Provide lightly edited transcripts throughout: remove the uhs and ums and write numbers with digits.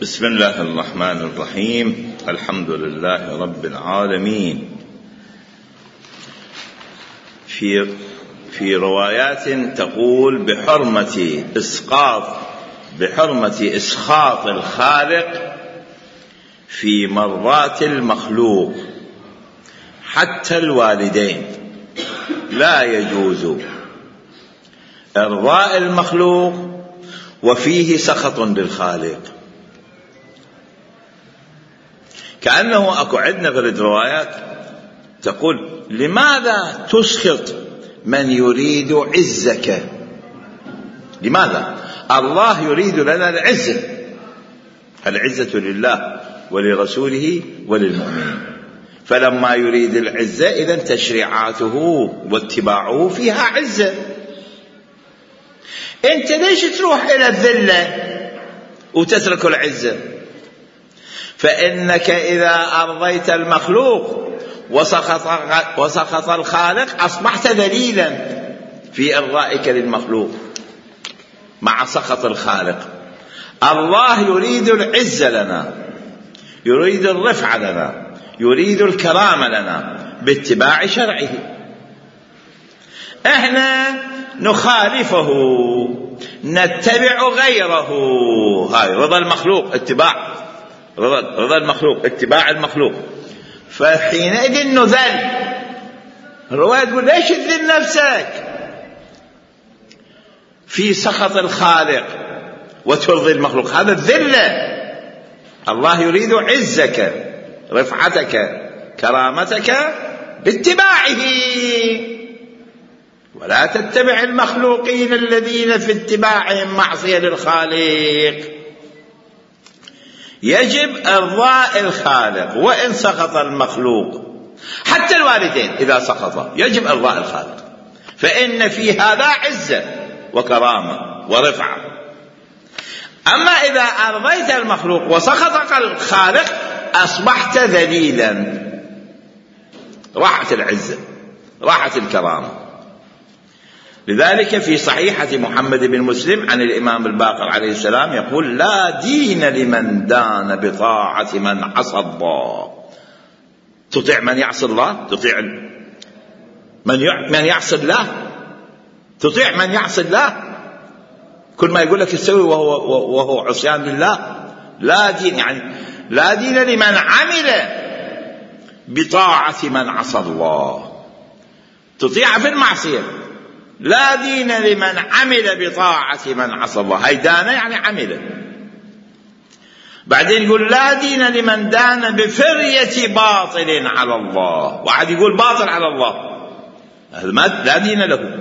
بسم الله الرحمن الرحيم. الحمد لله رب العالمين. في روايات تقول بحرمة إسخاط الخالق في مرضاة المخلوق حتى الوالدين، لا يجوز إرضاء المخلوق وفيه سخط للخالق. كأنه أكو عندنا في الروايات تقول لماذا تسخط من يريد عزك؟ لماذا؟ الله يريد لنا العزة لله ولرسوله وللمؤمنين، فلما يريد العزة إذن تشريعاته واتباعه فيها عزة. أنت ليش تروح إلى الذلة وتترك العزة؟ فإنك إذا أرضيت المخلوق وسخط الخالق أصبحت ذليلا في إرضائك للمخلوق مع سخط الخالق. الله يريد العزة لنا، يريد الرفعة لنا، يريد الكرامة لنا باتباع شرعه. احنا نخالفه، نتبع غيره. هاي رضا المخلوق، اتباع رضا المخلوق، اتباع المخلوق. فحينئذ نذل. الرواية تقول ليش تذل نفسك في سخط الخالق وترضي المخلوق؟ هذا الذلة. الله يريد عزك، رفعتك، كرامتك باتباعه، ولا تتبع المخلوقين الذين في اتباعهم معصية للخالق. يجب إرضاء الخالق وإن سخط المخلوق، حتى الوالدين إذا سخطا يجب إرضاء الخالق، فإن في هذا عزة وكرامة ورفعة. أما إذا أرضيت المخلوق وسخطك الخالق أصبحت ذليلا، راحت العزة، راحت الكرامة. لذلك في صحيحة محمد بن مسلم عن الإمام الباقر عليه السلام يقول لا دين لمن دان بطاعة من عصى الله. تطيع من يعصي الله، تطيع من يعصي الله، تطيع من يعصي الله، كل ما يقول لك تسوي وهو عصيان لله. لا دين، يعني لا دين لمن عمل بطاعة من عصى الله، تطيع في المعصية. لا دين لمن عمل بطاعة من عصى الله، هاي دان يعني عمل. بعدين يقول لا دين لمن دان بفرية باطل على الله. واحد يقول باطل على الله، هذا لا دين له.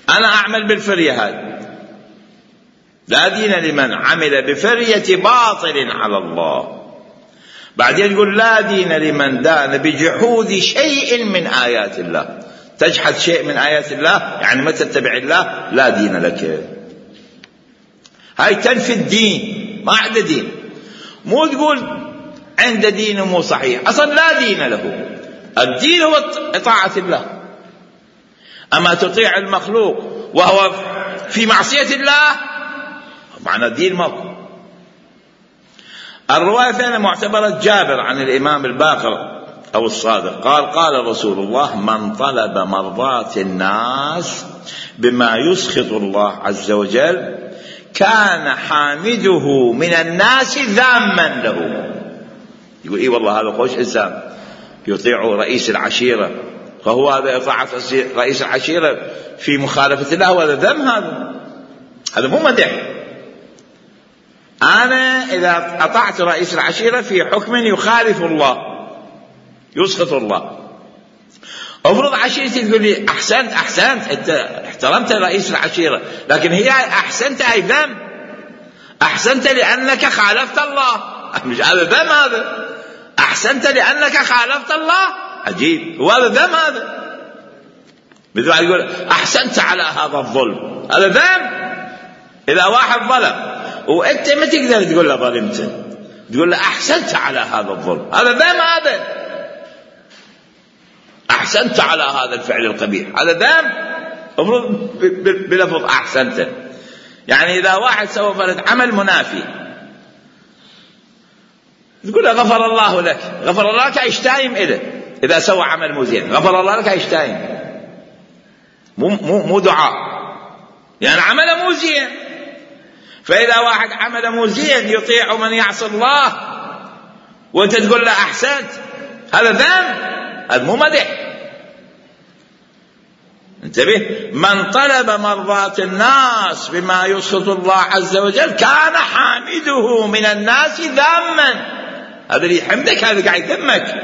أنا أعمل بالفرية هذه. لا دين لمن عمل بفرية باطل على الله. بعدين يقول لا دين لمن دان بجحود شيء من آيات الله. تجحد شيء من آيات الله يعني ما تتبع الله، لا دين لك. هاي تنفي الدين، ما عنده دين. مو تقول عنده دين مو صحيح، أصلا لا دين له. الدين هو طاعة الله. أما تطيع المخلوق وهو في معصية الله معنى الدين موقف. الرواية الثانية معتبرة جابر عن الإمام الباقر أو الصادق قال رسول الله من طلب مرضاة الناس بما يسخط الله عز وجل كان حامده من الناس ذاما له. يقول إيه والله هذا خوش إنسان يطيع رئيس العشيرة، فهو هذا إطاعة رئيس العشيرة في مخالفة الله، وهذا ذم. هذا مو مدح. أنا إذا أطعت رئيس العشيرة في حكم يخالف الله يسخط الله، أفرض عشيرتي تقول لي أحسنت أنت احترمت رئيس العشيرة، لكن هي أحسنت أي ذم. أحسنت لأنك خالفت الله، مش هذا ذم. هذا أحسنت لأنك خالفت الله، عجيب. وهذا ذم. هذا مثل واحد يقول أحسنت على هذا الظلم، هذا ذم. إذا واحد ظلم وأنت ما تقدر تقول له ظلمت، تقول له أحسنت على هذا الظلم، هذا ذم. هذا أحسنت على هذا الفعل القبيح، هذا ذم. المفروض بلفظ أحسنت. يعني إذا واحد سوى فرد عمل منافي تقول له غفر الله لك، غفر الله لك يشتايم إله إذا سوى عمل مو زين، غفر الله لك يشتايم، مو دعاء، يعني عمله مو زين. فإذا واحد عمله مو زين يطيع من يعصي الله وأنت تقول له أحسنت، هذا ذنب، هذا مو مدح. انتبه، من طلب مرضات الناس بما يسخط الله عز وجل كان حامده من الناس ذاما، هذا اللي يحمدك هذا قاعد يذمك.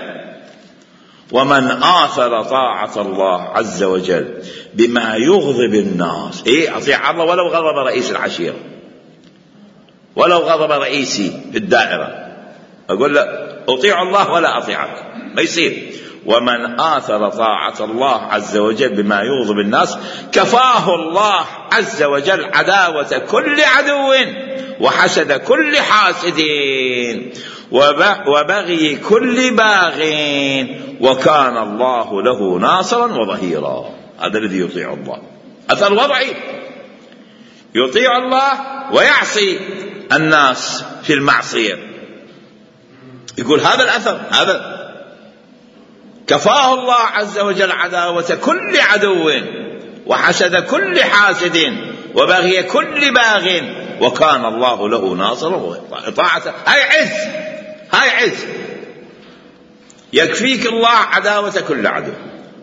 ومن آثر طاعة الله عز وجل بما يغضب الناس، أطيع الله ولو غضب رئيس العشيرة، ولو غضب رئيسي في الدائرة، أقول له أطيع الله ولا أطيعك، ما يصير. ومن آثر طاعة الله عز وجل بما يغضب الناس كفاه الله عز وجل عداوة كل عدو وحسد كل حاسد وبغي كل باغ، وكان الله له ناصرا وظهيرا. هذا الذي يطيع الله، أثر وضعي، يطيع الله ويعصي الناس في المعصية، يقول هذا الأثر، هذا كفاه الله عز وجل عداوة كل عدو وحسد كل حاسد وبغي كل باغ، وكان الله له ناصرا. طاعته هاي عز، هاي عز، يكفيك الله عداوة كل عدو،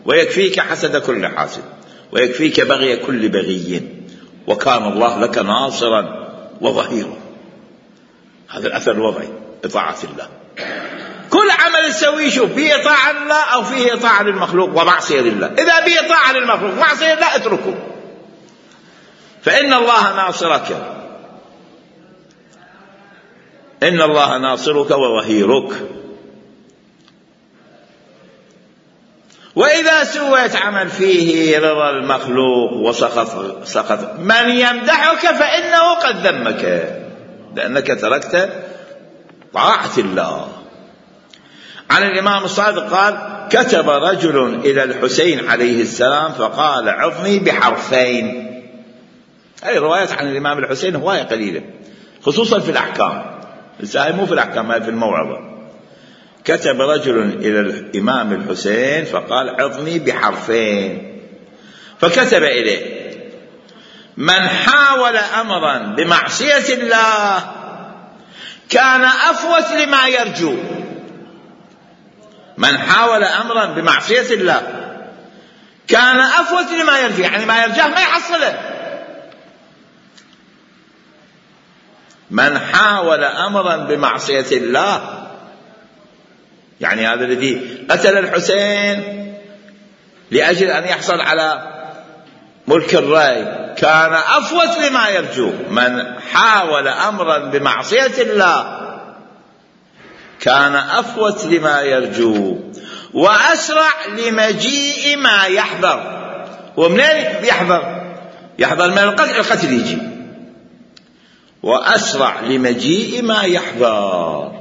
ويكفيك حسد كل حاسد، ويكفيك بغي كل بغي، وكان الله لك ناصرا وظهيرا. هذا الأثر الوضعي، إطاعة الله. كل عمل تسويه شوف فيه طاعة لله أو فيه طاعة للمخلوق ومعصية لله. إذا فيه طاعة للمخلوق ومعصية لله اتركه، فإن الله ناصرك، إن الله ناصرك وظهيرك. وإذا سويت عمل فيه رضا المخلوق وسخط من يمدحك فإنه قد ذمك، لأنك تركت طاعة الله. عن الإمام الصادق قال: كتب رجل إلى الحسين عليه السلام فقال: عظني بحرفين. هذه روايات عن الإمام الحسين هواية قليلة، خصوصا في الأحكام، مو في الأحكام، هاي في الموعظة. كتب رجل إلى الإمام الحسين فقال: عظني بحرفين. فكتب إليه: من حاول أمرا بمعصية الله كان أفوت لما يرجو. من حاول أمرا بمعصية الله كان أفوت لما يرجو، يعني ما يرجاه ما يحصله. من حاول أمرا بمعصية الله، يعني هذا الذي قتل الحسين لأجل أن يحصل على ملك الرأي كان أفوت لما يرجو. من حاول أمرا بمعصية الله كان أفوت لما يرجو وأسرع لمجيء ما يحذر. ومنين يحذر؟ يحذر من القتل يجي. وأسرع لمجيء ما يحذر.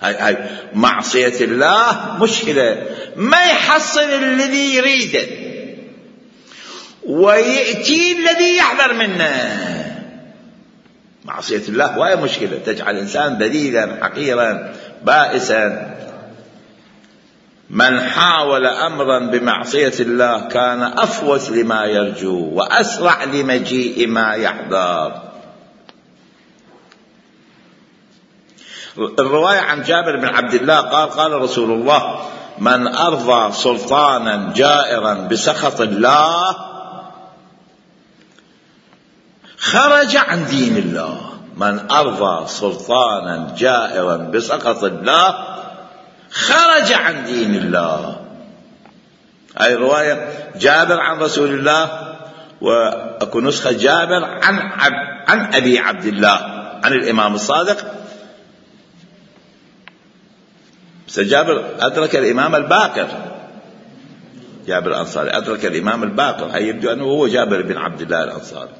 هاي معصية الله مشكلة، ما يحصل الذي يريده ويأتي الذي يحذر منه. معصية الله وهي مشكلة، تجعل الإنسان ذليلا حقيرا بائسا. من حاول أمرا بمعصية الله كان أفوت لما يرجو وأسرع لمجيء ما يحذر. الرواية عن جابر بن عبد الله قال: قال رسول الله: من أرضى سلطانا جائرا بسخط الله خرج عن دين الله. من أرضى سلطانا جائرا بسخط الله خرج عن دين الله. هذه رواية جابر عن رسول الله، وأكو نسخة جابر عن أبي عبد الله عن الإمام الصادق. جابر أدرك الإمام الباقر، جابر الأنصاري أدرك الإمام الباقر، هي يبدو أنه هو جابر بن عبد الله الأنصاري.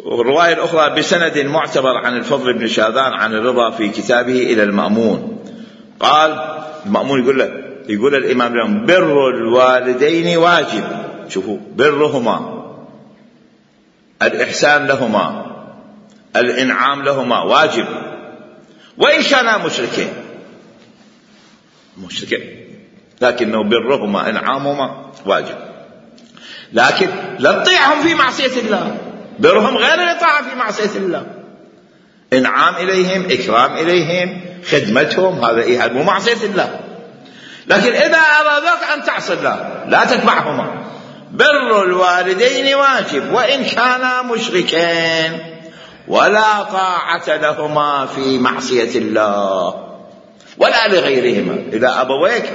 والرواية الأخرى بسند معتبر عن الفضل بن شاذان عن الرضا في كتابه إلى المأمون قال: المأمون يقول الإمام لهم: بر الوالدين واجب. شوفوا، برهما، الإحسان لهما، الإنعام لهما واجب وإن كانا مشركين. مشركين، لكنه برهما إنعامهما واجب، لكن لا تطيعهم في معصية الله. برهم غير الإطاعة في معصية الله. إنعام إليهم، إكرام إليهم، خدمتهم، هذا مو معصية الله. لكن إذا أرادك أن تعصي الله لا تتبعهما. بر الوالدين واجب وإن كانا مشركين، ولا طاعة لهما في معصية الله ولا لغيرهما. إذا أبويك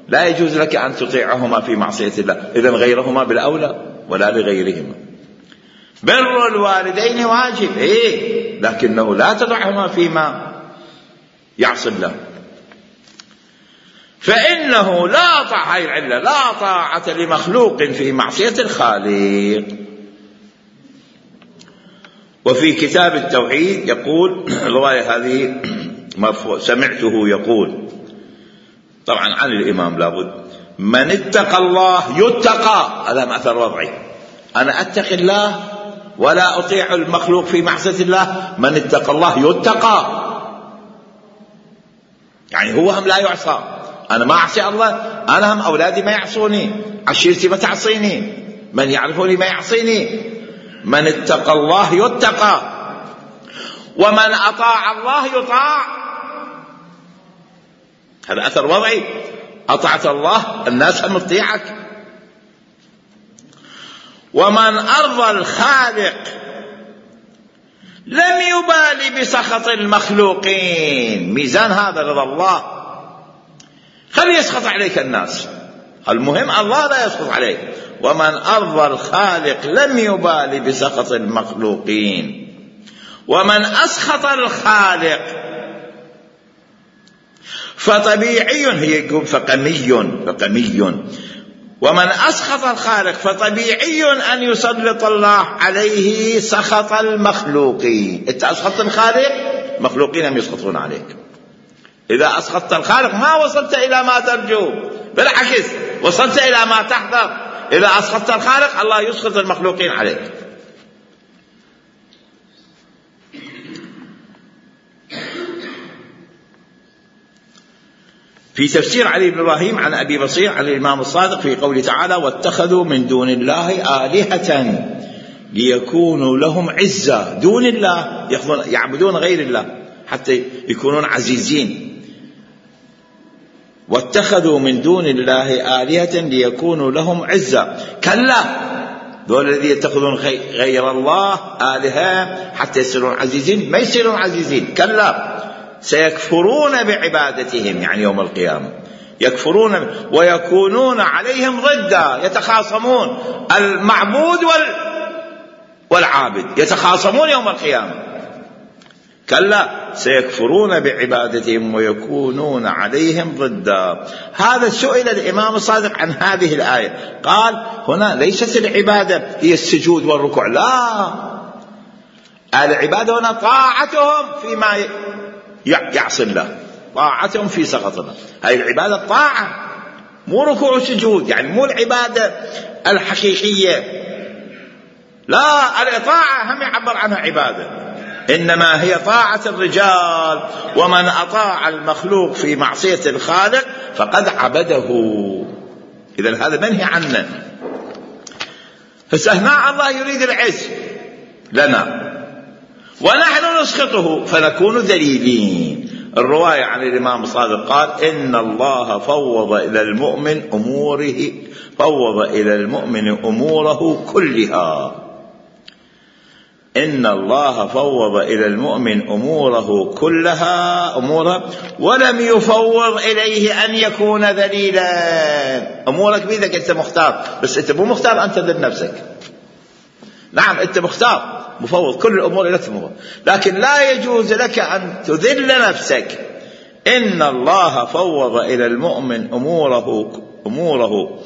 لا يجوز لك أن تطيعهما في معصية الله، إذن غيرهما بالأولى ولا لغيرهما. بر الوالدين واجب لكنه لا تطعهما فيما يعصي الله، فإنه لا طاعة، هاي العلة، لا طاعة لمخلوق في معصية الخالق. وفي كتاب التوحيد يقول، الرواية هذه مرفوع سمعته يقول، طبعا عن الإمام لابد: من اتقى الله يتقى. هذا أثر وضعي، أنا أتقي الله ولا أطيع المخلوق في معصية الله. من اتقى الله يتقى، يعني هو هم لا يعصى. أنا ما أعصي الله، أنا هم أولادي ما يعصوني، عشيرتي ما تعصيني، من يعرفوني ما يعصيني. من اتقى الله يتقى، ومن أطاع الله يطاع. هذا أثر وضعي، أطعت الله الناس هم تطيعك. ومن أرضى الخالق لم يبالي بسخط المخلوقين. ميزان هذا رضا الله، خلي يسخط عليك الناس، المهم الله لا يسخط عليك. ومن أرضى الخالق لم يبالي بسخط المخلوقين. ومن أسخط الخالق فطبيعي، هي يقول فقمي. ومن أسخط الخالق فطبيعي أن يسلط الله عليه سخط المخلوقين. أنت أسخطت الخالق، مخلوقين هم يسخطون عليك. إذا أسخطت الخالق ما وصلت إلى ما ترجو، بالعكس وصلت إلى ما تحذر. إذا أسخطت الخالق الله يسخط المخلوقين عليك. في تفسير علي بن إبراهيم عن أبي بصير عن الإمام الصادق في قوله تعالى: واتخذوا من دون الله آلهة ليكونوا لهم عزة. دون الله يعبدون غير الله حتى يكونون عزيزين. واتخذوا من دون الله آلهة ليكونوا لهم عزة. كلا، دول الذين يتخذون غير الله آلهة حتى يصيرون عزيزين، ما يصيرون عزيزين. كلا، سيكفرون بعبادتهم، يعني يوم القيامة يكفرون ويكونون عليهم ضدا، يتخاصمون. المعبود والعابد يتخاصمون يوم القيامة. كلا، سيكفرون بعبادتهم ويكونون عليهم ضدا. هذا سئل الإمام الصادق عن هذه الآية، قال: هنا ليست العبادة هي السجود والركوع، لا، العبادة هنا طاعتهم فيما يعصي الله، طاعتهم في سخط الله. هاي العبادة الطاعة، مو ركوع وسجود، يعني مو العبادة الحقيقية، لا، الطاعة هم يعبر عنها عبادة، إنما هي طاعة الرجال. ومن أطاع المخلوق في معصية الخالق فقد عبده. إذن هذا منهي عنه. فهنا الله يريد العز لنا ونحن نسخطه فنكون ذليلين. الرواية عن الإمام الصادق قال: إن الله فوض إلى المؤمن أموره كلها. إن الله فوض إلى المؤمن أموره كلها ولم يفوض إليه أن يكون ذليلا. أمورك بيدك، أنت مختار، بس أنت مو مختار أن تذل نفسك. نعم، أنت مختار، مفوض كل الأمور إلى المفوض، لكن لا يجوز لك أن تذل نفسك. إن الله فوض إلى المؤمن أموره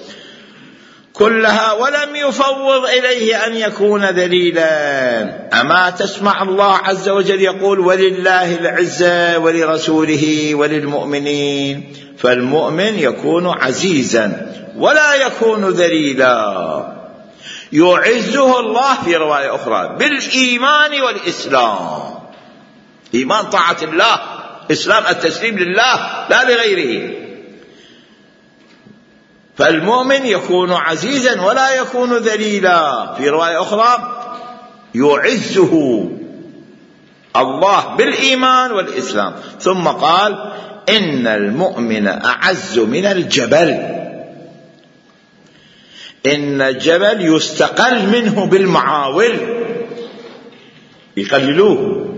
كلها ولم يفوض إليه أن يكون ذليلا. أما تسمع الله عز وجل يقول: ولله العزة ولرسوله وللمؤمنين. فالمؤمن يكون عزيزا ولا يكون ذليلا. يعزه الله في رواية أخرى بالإيمان والإسلام. إيمان طاعة الله، إسلام التسليم لله لا لغيره. فالمؤمن يكون عزيزا ولا يكون ذليلا. في رواية أخرى يعزه الله بالإيمان والإسلام. ثم قال إن المؤمن أعز من الجبل. إن الجبل يستقل منه بالمعاول يقللوه،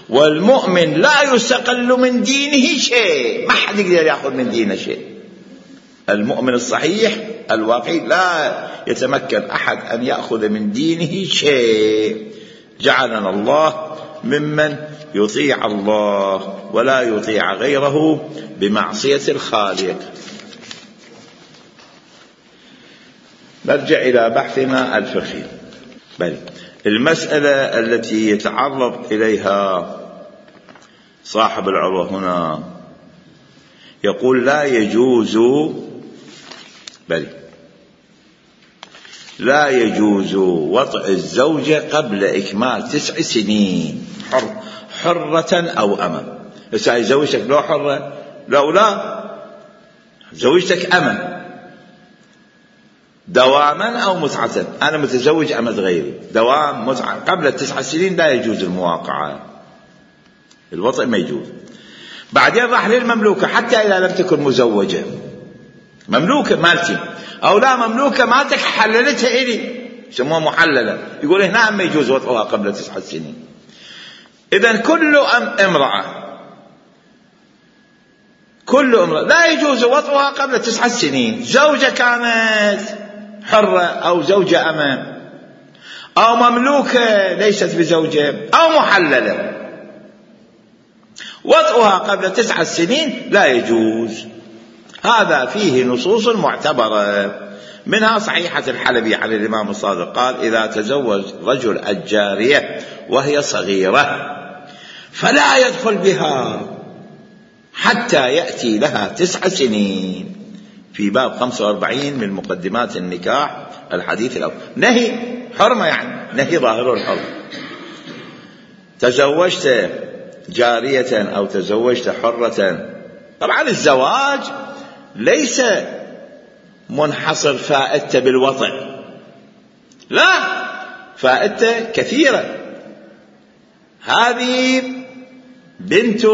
والمؤمن لا يستقل من دينه شيء، ما حد يقدر يأخذ من دينه شيء. المؤمن الصحيح الواقعي لا يتمكن أحد أن يأخذ من دينه شيء. جعلنا الله ممن يطيع الله ولا يطيع غيره بمعصية الخالق. نرجع إلى بحثنا الفقهي. بل المسألة التي يتعرض إليها صاحب العروة هنا يقول لا يجوز وطئ الزوجة قبل إكمال 9 سنين حرة أو أمة. هسه زوجتك لو حرة لا زوجتك أمة دواما أو متعة. أنا متزوج أمة غيري دوام متعة قبل 9 سنين لا يجوز المواقعة، الوطئ ما يجوز. بعدين راح للمملوكة حتى إذا لم تكن مزوجة، مملوكة مالتي أو لا مملوكة مالتك حللتها إلي يسموها محللة، يقول هنا ما يجوز وطئها قبل 9 سنين. إذن كل امرأة لا يجوز وطئها قبل 9 سنين، زوجة كانت حرة أو زوجة أمة أو مملوكة ليست بزوجة أو محللة، وطئها قبل 9 سنين لا يجوز. هذا فيه نصوص معتبرة، منها صحيحة الحلبي عن الإمام الصادق قال إذا تزوج رجل الجارية وهي صغيرة فلا يدخل بها حتى يأتي لها 9 سنين، في باب 45 من مقدمات النكاح الحديث الأول. نهي حرمة، يعني نهي ظاهر الحرمة. تزوجت جارية أو تزوجت حرة، طبعا الزواج ليس منحصر فائدته بالوطئ، لا، فائدته كثيرة. هذه بنت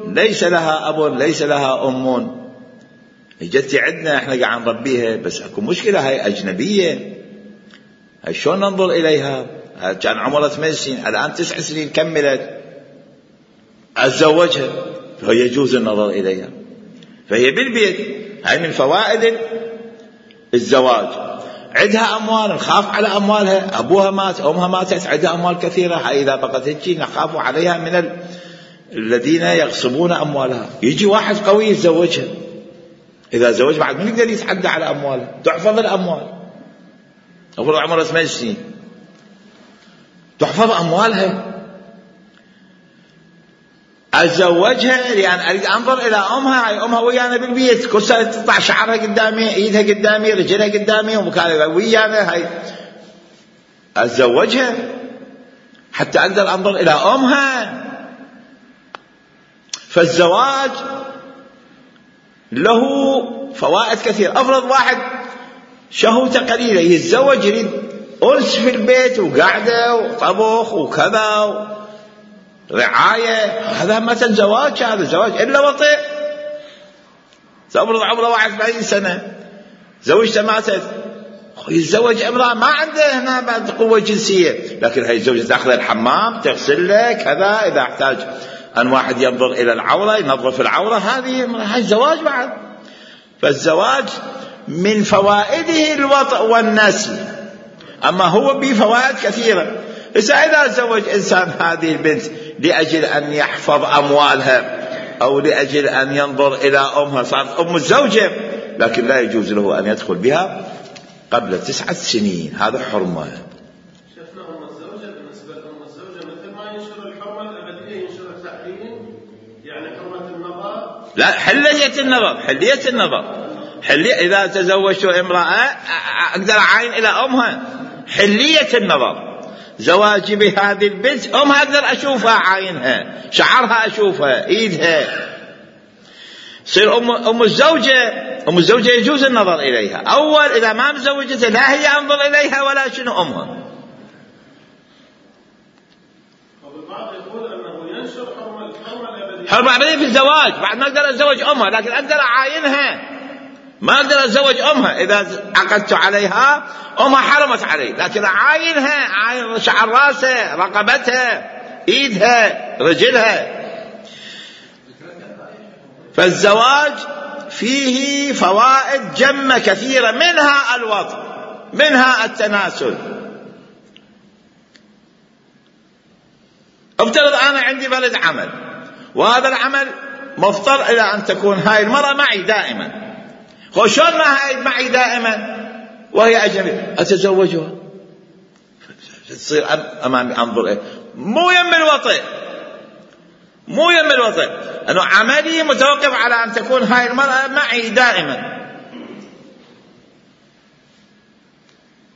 ليس لها أب ليس لها أم، جتي عندنا احنا قاعد نربيها، بس اكو مشكلة هاي أجنبية، هاي شلون ننظر إليها؟ كان عمرها 8 سنين الآن 9 سنين كملت، أتزوجها فيجوز النظر إليها، فهي بالبيت. هاي من فوائد الزواج. عندها أموال نخاف على أموالها، أبوها مات أمها ماتت، عندها أموال كثيرة، هاي إذا بقت هيك نخاف عليها من الذين يغصبون أموالها. يجي واحد قوي يتزوجها، إذا زوج بعد من يقدر يتحدى على أموالها، تحفظ الأموال. أقول عمرها 8 سنين تحفظ أموالها، أتزوجها لأن أريد أنظر إلى أمها. هاي أمها ويانا بالبيت، كل سنة تطلع شعرها قدامي، إيدها قدامي، رجلها قدامي، ومكانها ويانا. هاي أتزوجها حتى أقدر أنظر إلى أمها. فالزواج له فوائد كثيرة. أفرض واحد شهوته قليلة يتزوج، يريد أنس في البيت وقعدة وطبخ وكذا رعاية، هذا مثلا زواج، هذا زواج إلا وطئ. سأفرض عمره 41 سنة زوجته ماتت، يتزوج امرأة ما عنده هنا بعد قوة جنسية، لكن هاي الزوجة تأخذ الحمام تغسل له كذا، إذا احتاج أن واحد ينظر إلى العورة ينظف العورة، هاي زواج بعد. فالزواج من فوائده الوطء والنسل، أما هو بفوائد كثيرة. إذا تزوج إنسان هذه البنت لأجل أن يحفظ أموالها أو لأجل أن ينظر إلى أمها، صارت أم الزوجة، لكن لا يجوز له أن يدخل بها قبل 9 سنين، هذا حرمة. شفنا أم الزوجة، بالنسبة لأم الزوجة مثل ما ينشر الحرمة الأبدية ينشر التحريم، يعني حرمة النظر، لا، حلية النظر. إذا تزوجت امرأة أقدر أعاين إلى أمها، حلية النظر. زواجي بهذه البنت أمها أقدر أشوفها، أعاينها، شعرها أشوفها، إيدها. تصير أم الزوجة يجوز النظر إليها. أول إذا ما مزوجتها لا هي أنظر إليها ولا شنو أمها. والبعض يقول أنه ينشر الحرمة الأبدية. حرمة أبدية في الزواج، بعد ما أقدر أتزوج أمها، لكن أقدر أعاينها، ما أقدر أتزوج أمها. إذا عقدت عليها أمها حرمت علي، لكن أعاينها، أعاين شعر راسها، رقبتها، إيدها، رجلها. فالزواج فيه فوائد جمة كثيرة، منها الوطء، منها التناسل. افترض أنا عندي بلد عمل، وهذا العمل مفترض إلى أن تكون هاي المرأة معي دائما. شلون ما هاي معي دائما وهي أجنبية؟ أتزوجها، تصير أمامي أنظر إيه؟ مو يم الوطء، مو يم الوطء، أنه عملي متوقف على أن تكون هاي المرأة معي دائما،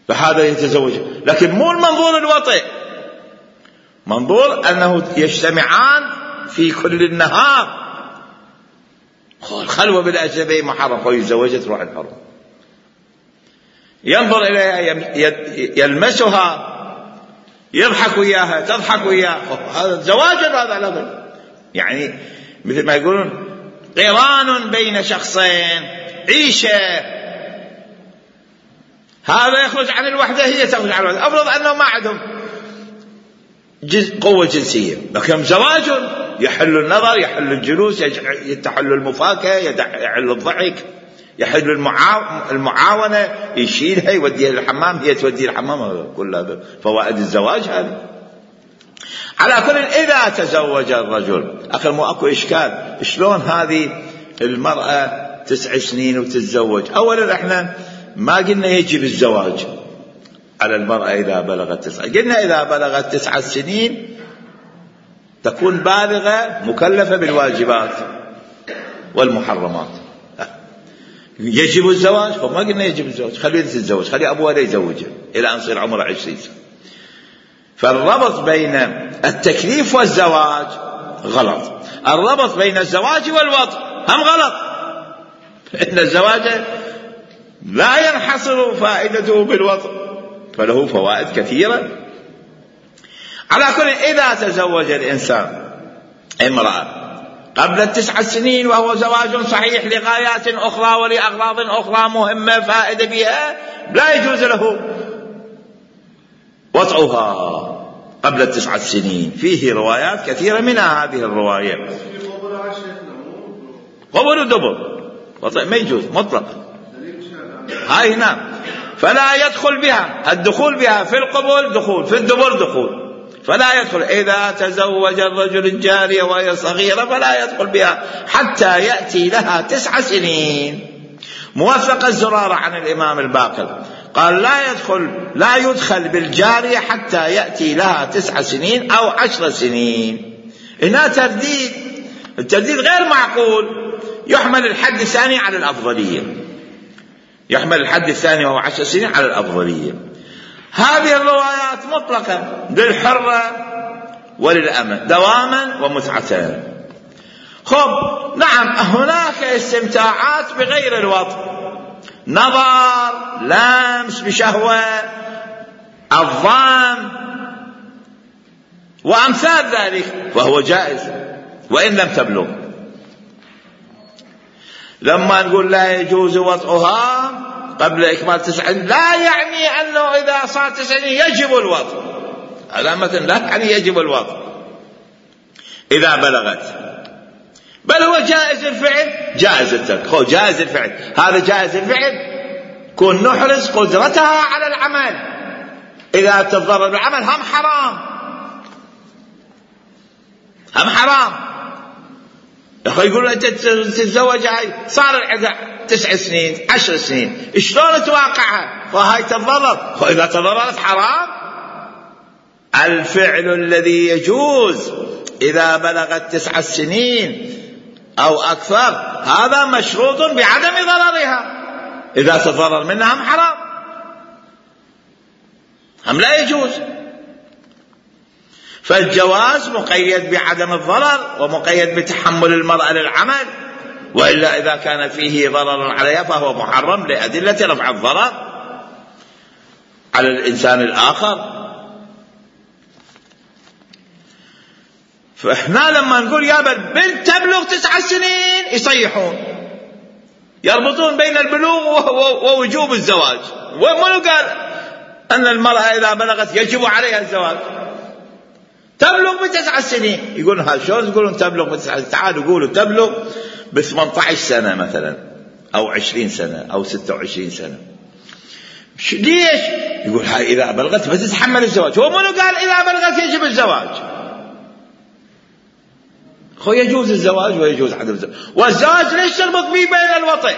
فهذا يتزوج. لكن مو المنظور الوطء، منظور أنه يجتمعان في كل النهار. الخلوة بالأجنبي محرم، ويتزوجها تروح الحرم، ينظر إليها، يلمسها، يضحك وياها، تضحك وياه. هذا زواج، هذا لغة، يعني مثل ما يقولون قران بين شخصين، عيشة. هذا يخرج عن الوحدة، هي تخرج عن الوحدة. أفرض أنه ما عندهم قوة جنسية، لكن زواج يحل النظر، يحل الجلوس، يحل المفاكهة، يحل الضحك، يحل المعاونة، يشيلها يوديها للحمام، هي توديه للحمام. كل هذا فوائد الزواج هذا. على كل، إذا تزوج الرجل، أخي مو أكو إشكال، شلون هذه المرأة 9 سنين وتتزوج؟ أولا احنا ما قلنا يجب الزواج على المرأة إذا بلغت 9، قلنا إذا بلغت 9 سنين تكون بالغة مكلفة بالواجبات والمحرمات. يجب الزواج؟ فما قلنا يجب الزواج، خليه تتزوج، خلي أبوها لا يزوجها إلى أن يصير عمره 20 سنة. فالربط بين التكليف والزواج غلط، الربط بين الزواج والوطء هم غلط، إن الزواج لا ينحصر فائدته بالوطء، فله فوائد كثيرة. على كل، إذا تزوج الإنسان امرأة قبل 9 سنين وهو زواج صحيح لغايات أخرى ولأغراض أخرى مهمة فائدة بها، لا يجوز له وطئها قبل 9 سنين. فيه روايات كثيرة، منها هذه الرواية. قبل ودبر وطئ ما يجوز مطلقا، هاي نعم. فلا يدخل بها، الدخول بها في القبول دخول، في الدبر دخول، فلا يدخل. إذا تزوج الرجل الجارية وهي صغيرة فلا يدخل بها حتى يأتي لها 9 سنين. موثق الزرارة عن الإمام الباقر قال لا يدخل بالجارية حتى يأتي لها 9 سنين أو 10 سنين. هنا ترديد، الترديد غير معقول. يحمل الحد الثاني على الأفضلية، يحمل الحد الثاني وهو 10 سنين على الأفضلية. هذه الروايات مطلقة للحرة وللأمة دواما ومتعة. خب نعم، هناك استمتاعات بغير الوطء، نظر، لمس بشهوة، الضام وأمثال ذلك، وهو جائز وإن لم تبلغ. لما نقول لا يجوز وطئها قبل إكمال 9 لا يعني أنه إذا صار 9 يجب الوطء، هذا مثلا لا يعني يجب الوطء إذا بلغت، بل هو جائز الفعل جائز الترك. جائز الفعل، هذا جائز الفعل كون نحرز قدرتها على العمل. إذا تضرر بالعمل هم حرام، هم حرام. يقولون أنت تتزوج، هاي صار العدة 9 سنين 10 سنين، شلون تواقعها؟ وهاي تتضرر، وإذا تضررت حرام. الفعل الذي يجوز إذا بلغت 9 سنين أو أكثر هذا مشروط بعدم ضررها، إذا تضرر منها هم حرام، هم لا يجوز. فالجواز مقيد بعدم الضرر ومقيد بتحمل المرأة للعمل وإلا إذا كان فيه ضرر عليها فهو محرم لأدلة رفع الضرر على الإنسان الآخر. فإحنا لما نقول يا بنت تبلغ 9 سنين يصيحون، يربطون بين البلوغ ووجوب الزواج. ومنو قال أن المرأة إذا بلغت يجب عليها الزواج؟ تبلغ ب9 سنين. يقولون هذا شلون يقولون تبلغ ب9 سنين؟ تعالوا قولوا تبلغ ب18 سنة مثلا، أو 20 سنة، أو 26 سنة. ليش؟ يقول هاي إذا بلغت بتتحمل الزواج. هو منو قال إذا بلغت يجب الزواج؟ هو يجوز الزواج ويجوز عدم الزواج. والزواج ليش تربط به بين الوطئ؟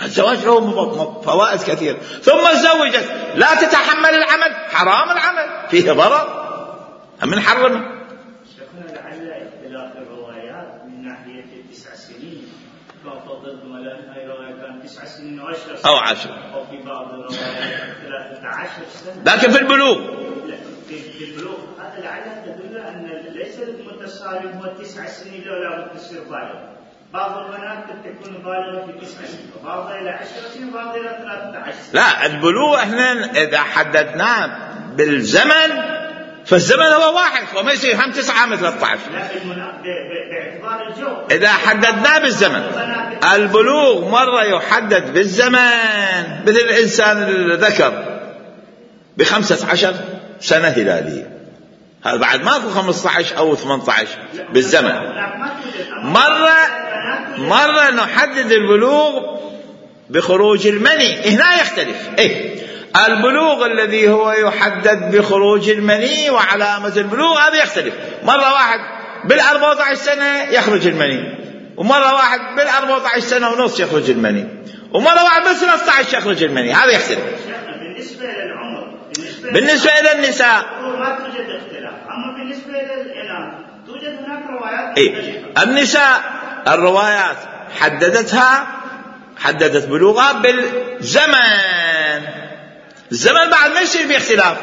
الزواج له فوائد كثيرة. ثم تزوجت لا تتحمل العمل، حرام العمل، فيه ضرر، من حرمه. شيخنا لعل اختلاف الروايات من ناحية 9 سنين، فضل مثلا هاي رواية كان 9 سنين و10 أو 10، أو في بعض الروايات 13 سنة. لكن في البلوغ، لا في البلوغ هذا لعل تدل أن ليس المتصارم هو 9 سنين لو لابد تصير بالغ. بعض البنات قد تكون بالغة في 9 سنين، وبعضها إلى 10 سنين، وبعضها إلى 13 سنين. لا، البلوغ احنا إذا حددناه بالزمن فالزمن هو واحد، وما يصير هم 9 هم 13. لا، باعتبار الجو إذا حددناه بالزمن. البلوغ مرة يحدد بالزمن، مثل الإنسان الذكر ب15 سنة هلالية، هذا بعد ماكو 15 أو 18 بالزمن. مرة نحدد البلوغ بخروج المني، هنا يختلف. البلوغ الذي هو يحدد بخروج المني وعلامة البلوغ هذا يختلف. مرة واحد بال14 سنة يخرج المني، ومرة واحد بال14 سنة ونص يخرج المني، ومرة واحد بال13 يخرج المني، هذا يختلف. بالنسبة للعمر، بالنسبة إلى النساء ما توجد اختلاف، أما بالنسبة للإناث توجد هناك روايات. النساء الروايات حددت بلوغها بالزمن. الزمن بعد ما يصير باختلاف،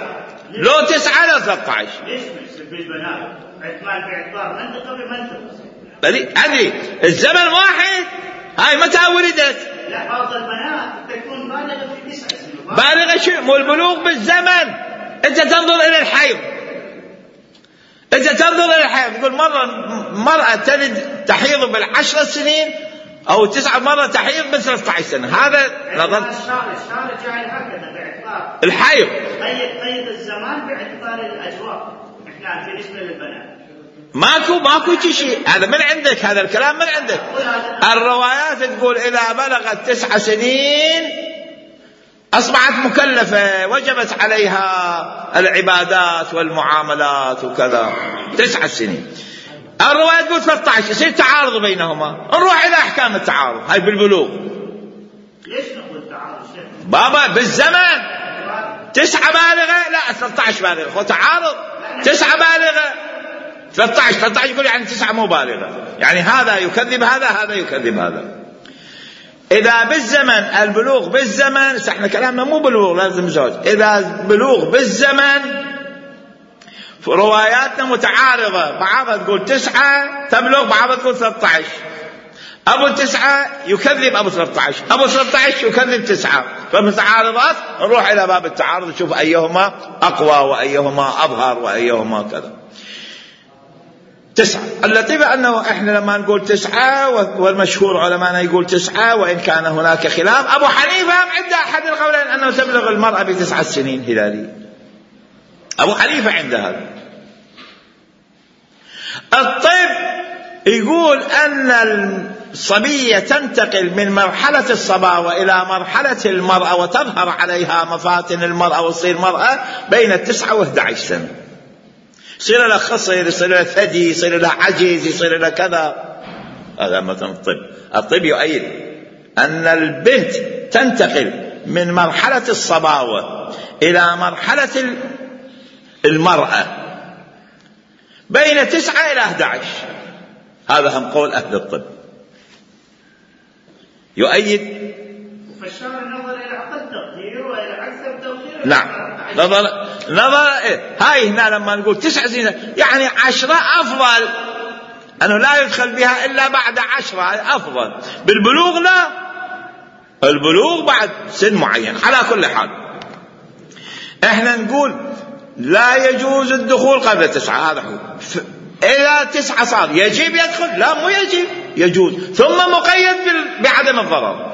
لو 9 لو 13. ليش بالبنات باعتبار منطقة بمنطقة؟ أدري الزمن واحد. هاي متى ولدت؟ لا، بعض البنات تكون بالغة في 9 سنين. بالغة شو؟ مو البلوغ بالزمن. أنت تنظر إلى الحيض، يقول مرة تلد تحيض بال10 سنين أو 9 مرة تحيض ب13 سنة. هذا نظر الشارع جاي هكذا باعتبار الحيض. قيد الزمان باعتبار الأجواء. إحنا بالنسبة للبنات ماكو شيء. هذا من عندك، هذا الكلام من عندك. الروايات تقول إذا بلغت 9 سنين أصبحت مكلفة، وجبت عليها العبادات والمعاملات وكذا. 9 سنين. الرواية تقول 13، يصير تعارض بينهما. نروح إلى أحكام التعارض. هاي بالبلوغ. ليش نقول تعارض بابا؟ بالزمن 9 بالغة، لا 13 بالغة، هو تعارض. 9 بالغة 13 يقول يعني 9 مو بالغة، يعني هذا يكذب هذا يكذب هذا. إذا بالزمن البلوغ بالزمن، احنا كلامنا مو بلوغ لازم زوج. إذا بلوغ بالزمن رواياتنا متعارضة، بعضها تقول 9 تبلغ، بعضها تقول 13. أبو 9 يكذب أبو 13، أبو 13 يكذب 9، فمتعارضات. نروح إلى باب التعارض نشوف أيهما أقوى وأيهما أظهر وأيهما كذا. 9. اللطيفة أنه إحنا لما نقول 9 والمشهور علماءنا يقول 9، وإن كان هناك خلاف. أبو حنيفة عند أحد القولين أنه تبلغ المرأة ب9 سنين هلالي. أبو حنيفة عند هذا. الطب يقول أن الصبية تنتقل من مرحلة الصباوة إلى مرحلة المرأة، وتظهر عليها مفاتن المرأة وتصير مرأة بين 9 و11 سنة. يصير لها خصر، يصير لها ثدي، يصير لها عجز، يصير لها كذا. هذا مثلا الطب يؤيد أن البنت تنتقل من مرحلة الصباوة إلى مرحلة المرأة بين 9 إلى 11. هذا هم قول أهل الطب يؤيد. فالشرع نظر إلى أقل تقدير وإلى أكثر تقدير. نعم، نظر هاي هنا لما نقول 9 سنين يعني 10 أفضل أنه لا يدخل بها إلا بعد 10 أفضل. بالبلوغ لا، البلوغ بعد سن معين. على كل حال احنا نقول لا يجوز الدخول قبل 9. هذا حكم. إذا 9 صار يجب يدخل؟ لا، مو يجب، يجوز، ثم مقيد بعدم الضرر،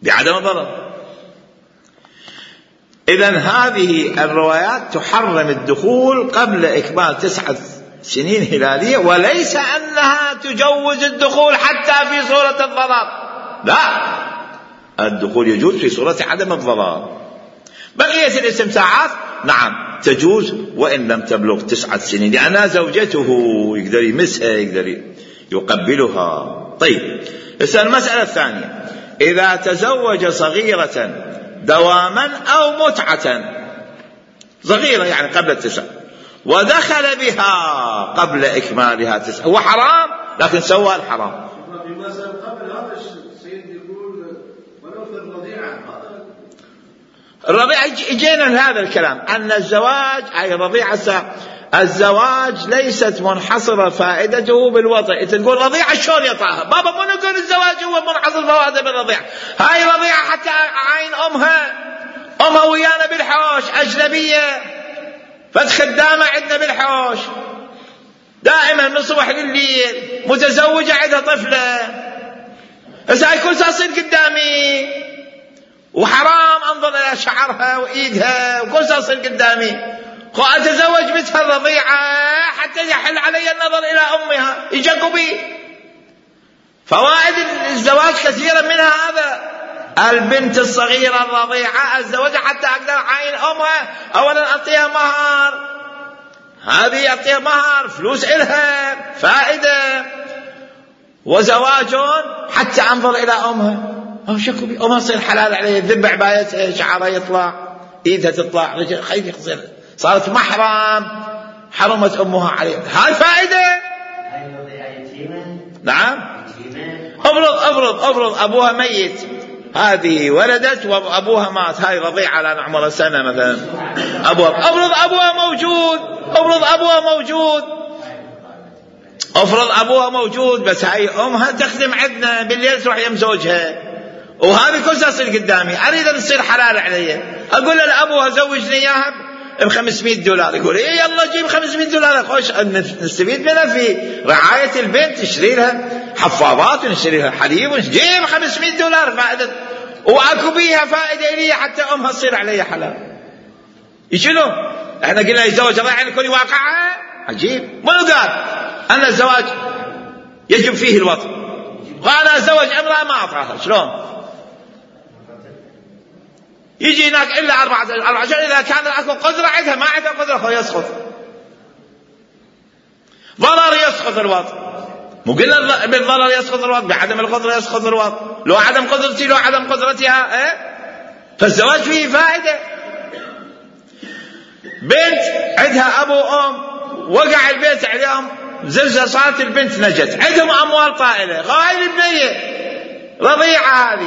بعدم الضرر. إذن هذه الروايات تحرم الدخول قبل إكمال 9 سنين هلالية، وليس أنها تجوز الدخول حتى في صورة الضرر، لا، الدخول يجوز في صورة عدم الضرر. بقية الاستمتاعات نعم تجوز وإن لم تبلغ 9 سنين، لأنها زوجته، يقدر يمسها، يقدر يقبلها. طيب، المسألة الثانية: إذا تزوج صغيرة دواما أو متعة، صغيرة يعني قبل 9 ودخل بها قبل إكمالها 9، هو حرام لكن سوى الحرام. بمثل قبل هذا السيد يقول ولو في الرضيعة، الرضيعة جينا لهذا الكلام، أن الزواج أي رضيعة، الزواج ليست منحصرة فائدته بالوطئ. تقول رضيعة شلون يطاها؟ بابا مو نقول الزواج هو منحصر فائدته بالرضيعة. هاي رضيعة حتى عين أمها ويانا بالحوش، أجنبية، فخدامة عندنا بالحوش دائما من الصبح لليل، متزوجة عندها طفلة، هسه يكون تصير قدامي وحرام انظر الى شعرها وايدها وكل تصير قدامي، اتزوج بنتها الرضيعة حتى يحل علي النظر الى امها، يجقوا بي. فوائد الزواج كثيرا منها هذا. البنت الصغيرة الرضيعة الزواج حتى اقدر اعين امها، اولا اعطيها مهر، هذه اعطيها مهر، فلوس الها فائدة، وزواج حتى انظر الى امها، أو شكوا بي أمها تصير حلال عليه، ذب عبايتها، شعرها يطلع، إيدها تطلع، رجل خير يخزر، صارت محرم، حرمت أمها عليه. هاي فائدة. نعم. أفرض أبوها ميت، هذه ولدت وأبوها مات، هاي رضيعة لأن عمرها سنة مثلا، أفرض أبوها موجود بس هاي أمها تخدم عندنا بالليل تروح يم زوجها، وهذه كلها تصير قدامي، أريد أن تصير حلال علي، أقول لأبوها زوجني إياها $500، يقول إيه يلا جيب $500، خوش نستفيد منها في رعاية البنت، نشتري لها حفاضات ونشتري لها حليب ونجيب $500 فائدة، وأكو بيها فائدة لي حتى أمها تصير علي حلال. يشنو؟ احنا قلنا الزواج رضيعة يكون واقعها عجيب. ما قال أن الزواج يجب فيه الوطء، قال أزوج امرأة ما أعطاها، شلون؟ يجي هناك إلا 4 أشهر، إذا كان أكو قدرة عندها، ما عندها قدرة يسقط، ضرر يسقط الوطء. مو قلنا بالضرر يسقط الوطء، بعدم القدرة يسقط الوطء، لو عدم قدرتي لو عدم قدرتها، فالزواج فيه فائدة. بنت عندها أبو وأم، وقع البيت عليهم زلزال، صارت البنت نجت، عندهم أموال طائلة، هاي البنية رضيعة،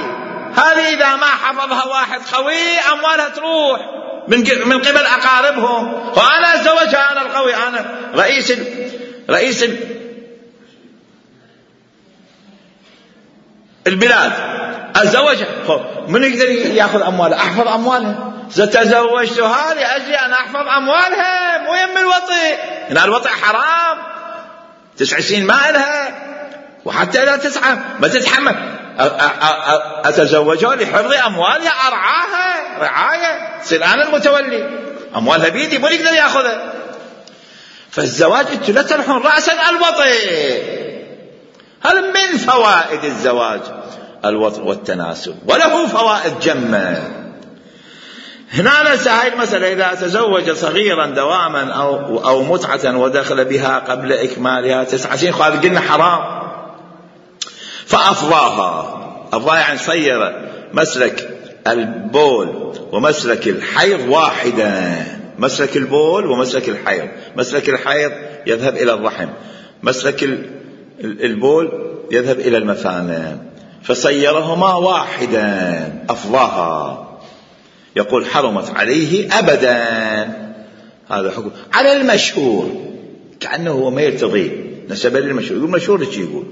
هذه إذا ما حفظها واحد قوي أموالها تروح من قبل أقاربهم، وأنا أتزوجها، أنا القوي، أنا رئيس البلاد، أتزوجها، من يقدر يأخذ أموالها؟ أحفظ أموالها، تزوجتها لأجل أن أحفظ أموالها، مو يم الوطئ، هنا الوطئ حرام، 9 سنين ما لها، وحتى إذا 9 ما تتحمل، أتزوجها لحفظ أموالها، أرعاها رعاية، تصير أنا المتولي، أموالها بيدي، مو يقدر يأخذها. فالزواج أنتم لا تلحون رأسا الوطئ، هذا من فوائد الزواج الوطئ والتناسل، وله فوائد جمة. هنا ننسى هاي المسألة: إذا تزوج صغيرا دواما أو متعة ودخل بها قبل إكمالها 9 سنين، هذا قلنا حرام. فأفضاها يعني صير مسلك البول ومسلك الحيض واحدا، مسلك البول ومسلك الحيض، مسلك الحيض يذهب إلى الرحم، مسلك البول يذهب إلى المثانة، فصيرهما واحدا، أفضاها، يقول حرمت عليه أبدا. هذا حكم على المشهور، كأنه هو ما يرتضي، نسب للمشهور. يقول مشهور ايش يقول؟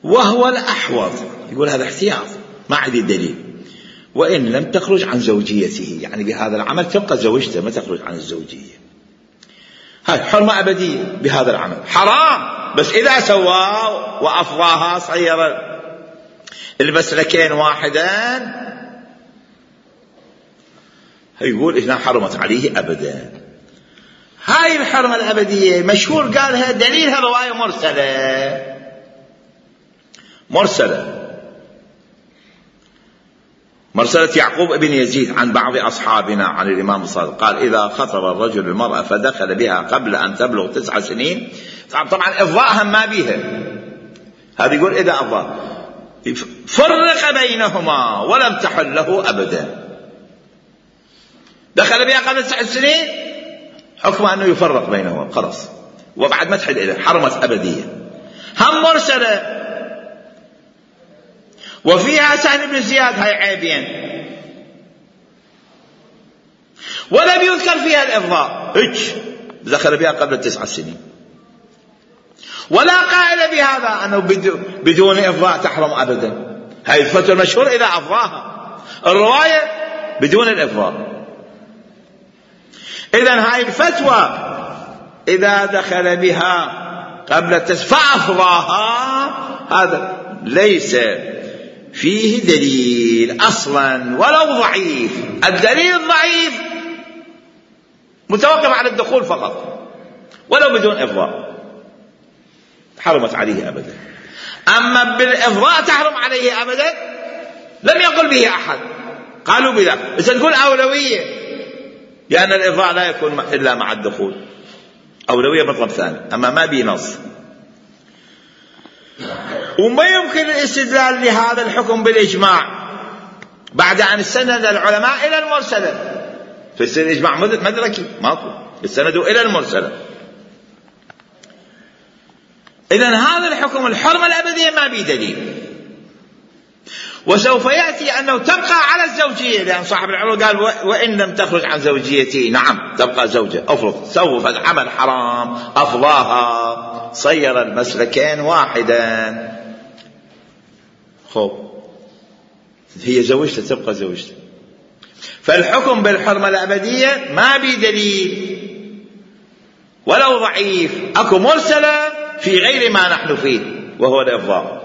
وهو الأحوط، يقول هذا احتياط ما عندي دليل، وإن لم تخرج عن زوجيته، يعني بهذا العمل تبقى زوجته ما تخرج عن الزوجية. هاي حرمة أبدية بهذا العمل، حرام بس إذا سواه وأفضاها صير المسلكين واحدا، يقول إذا حرمت عليه أبدا. هاي الحرمة الأبدية مشهور قالها دليلها رواية مرسلة يعقوب ابن يزيد عن بعض أصحابنا عن الإمام الصادق قال إذا خطب الرجل المرأة فدخل بها قبل أن تبلغ 9 سنين، طبعا إفضاءها ما بيها، هذا يقول إذا أفضى فرق بينهما ولم تحل له أبدا. دخل بها قبل 9 سنين حكمه أنه يفرق بينهما خلاص، وبعد ما تحل إليه حرمت أبدية. هم مرسلة وفيها سهل بن زياد، هاي عيبين، ولم يذكر فيها الإفضاء، دخل بها قبل 9 سنين، ولا قائل بهذا أنه بدون إفضاء تحرم أبدا. هاي الفتوى المشهور إذا أفضاها، الرواية بدون الإفضاء. إذن هاي الفتوى إذا دخل بها قبل فأفضاها، هذا ليس فيه دليل أصلا ولو ضعيف. الدليل الضعيف متوقف على الدخول فقط ولو بدون إفضاء، حرمت عليه أبدا. أما بالإفضاء تحرم عليه أبدا لم يقل به أحد، قالوا بذا، بس نقول أولوية، لأن الإفضاء لا يكون إلا مع الدخول، أولوية مطلب ثاني، أما ما بي نص. وما يمكن الاستدلال لهذا الحكم بالإجماع بعد أن استند العلماء إلى المرسلة، في الإجماع مدركي ماكو، استندوا إلى المرسلة. إذن هذا الحكم الحرمة الأبدية ما بي دليل، وسوف يأتي أنه تبقى على الزوجية، لأن صاحب العروة قال وإن لم تخرج عن زوجيتي، نعم تبقى زوجة. أفرض سوف عمل حرام أفضاها صير المسلكين واحدا، هي زوجته تبقى زوجته. فالحكم بالحرمة الأبدية ما بي دليل ولو ضعيف، أكو مرسلة في غير ما نحن فيه وهو الإفضاء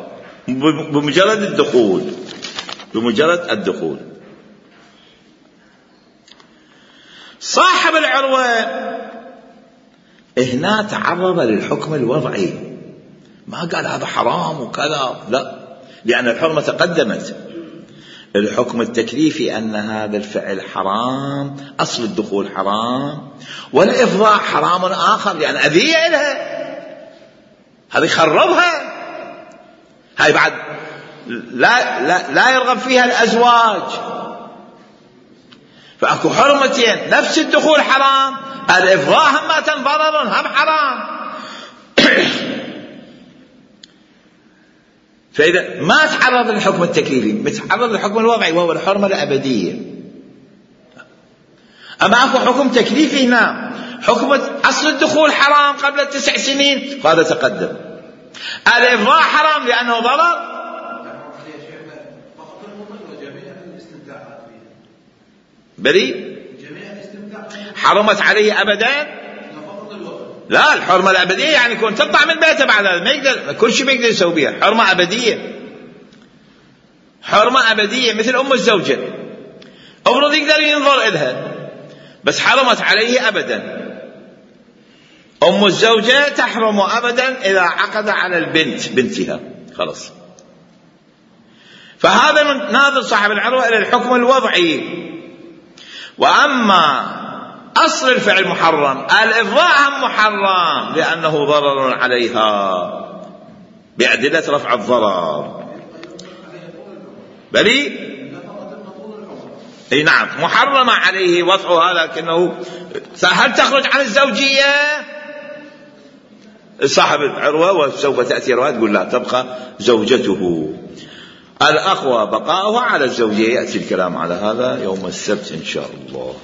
بمجرد الدخول. صاحب العروة هنا تعرض للحكم الوضعي، ما قال هذا حرام وكذا، لا، لأن الحرمة تقدمت. الحكم التكليفي أن هذا الفعل حرام، أصل الدخول حرام، والإفضاء حرام آخر، لأن أذية إلها، هذه خربها، هاي بعد لا يرغب فيها الأزواج. فأكو حرمتين، نفس الدخول حرام، الإفضاء هم ضرر هم حرام. فإذا ما تعرض للحكم التكليفي، متعرض للحكم الوضعي وهو الحرمة الأبدية. أما أكو حكم تكليفي هنا، حكم أصل الدخول حرام قبل 9 سنين، هذا تقدم. الإفضاء حرام لأنه ضرر، بريء، حرمت عليه أبدا. لا، الحرمة الأبدية يعني يكون تطلع من بيته بعد هذا، ما يقدر، كل شيء ما يقدر يسوي بها، حرمة أبدية مثل أم الزوجة، أفرض يقدر ينظر إلها بس حرمت عليه أبدا. أم الزوجة تحرم أبدا إذا عقد على البنت بنتها، خلاص. فهذا ناظر صاحب العروة إلى الحكم الوضعي. وأما أصل الفعل محرم، الإفضاء محرم لأنه ضرر عليها بأدلة رفع الضرر، بلي أي نعم محرم عليه وضعها، لكنه هل تخرج عن الزوجية؟ صاحب العروة وسوف تأتي رواية تقول لا، تبقى زوجته. الأقوى بقاؤها على الزوجية، يأتي الكلام على هذا يوم السبت إن شاء الله.